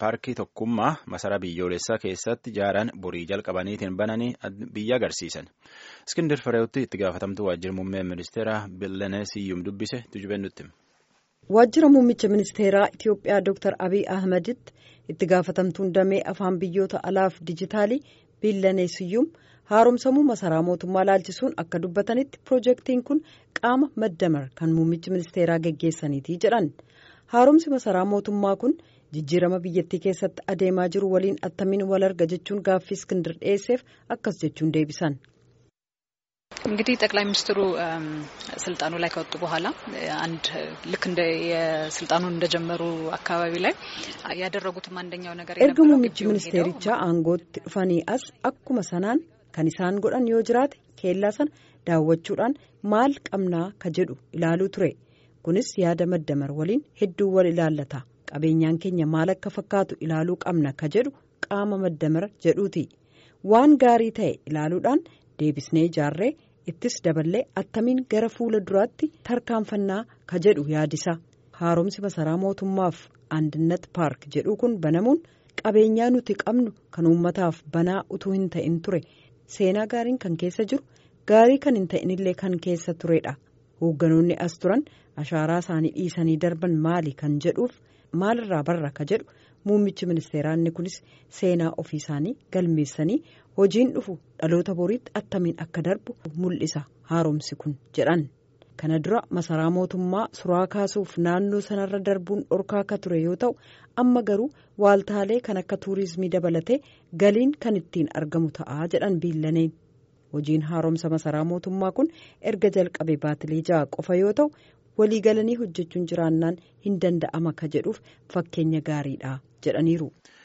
Paarkii Tokkummaa masaraa biyyoolessaa keessatti ijaaran borii jalqabaniitiin bananii biyya agarsiisan. Iskindir Fireewutti itti gaafatamtuu waajjira muummee ministeeraa Billanee Siyyum dubbise tujubeen nutti. Waajjira muummicha ministeeraa Itiyoophiyaa Dr. Abiy Ahmeditti itti gaafatamtuun damee afaan biyyoota alaaf dijitaalii Billanee Siyyum haaromsamuu masaraa mootummaa laalchisuun akka dubbatanitti piroojeektiin kun qaama maddamar kan muummichi ministeeraa geggeessaniiti jedhan. Haaromsi masaraa mootummaa kun jijjiirama biyyattii keessatti adeemaa jiru waliin attamiin wal arga jechuun gaaffii Iskindir dhiyeesseef akkas jechuun deebisan. እንግዲህ ጠቅላይ ሚኒስትሩ ስልጣኑ ላይ ከወጡ በኋላ አንድ ልክ እንደ የስልጣኑን እንደጀመሩ አካባቢ ላይ ያደረጉትም አንደኛው ነገር erga muummichi ministeerichaa aangootti dhufanii as akkuma sanaan kan isaan godhan yoo jiraate keellaa sana daawwachuudhaan maal qabnaa ka jedhu ilaaluu ture. Kunis yaada maddamar waliin hedduu wal ilaallata. Qabeenyaan keenya maal akka fakkaatu ilaaluu qabna ka jedhu qaama maddamar jedhuuti. Waan gaarii ta'e ilaaluudhaan deebisnee ijaarree ittis daballee attamiin gara fuula duraatti tarkaanfannaa ka jedhu yaadisa. Haaromsi masaraa mootummaaf Andinnat Paark jedhu kun banamuun qabeenyaa nuti qabnu kan uummataaf banaa utuu hin ta'in ture. Seenaa gaariin kan keessa jiru gaarii kan hin ta'inillee kan keessa turedha. Hoogganoonni as turan ashaaraa isaanii dhiisanii darban maali kan jedhuuf maalirraa barra ka jedhu muummichi ministeeraa inni kunis seenaa ofii isaanii galmeessanii hojiin dhufu dhaloota boriitti attamiin akka darbu mul'isa haaromsi kun jedhan. Kana dura masaraa mootummaa suraa kaasuuf naannoo sanarra darbuun dhorkaa akka ture yoo ta'u amma garuu waaltaalee kan akka tuurizimii dabalatee galiin kan ittiin argamu ta'a jedhan Biillaneen. Hojiin haaromsa masaraa mootummaa kun erga jalqabe baatilee 6 qofa yoo ta'u waliigalanii hojjechuun jiraannaan hin danda'ama ka jedhuuf fakkeenya gaariidha jedhaniiru.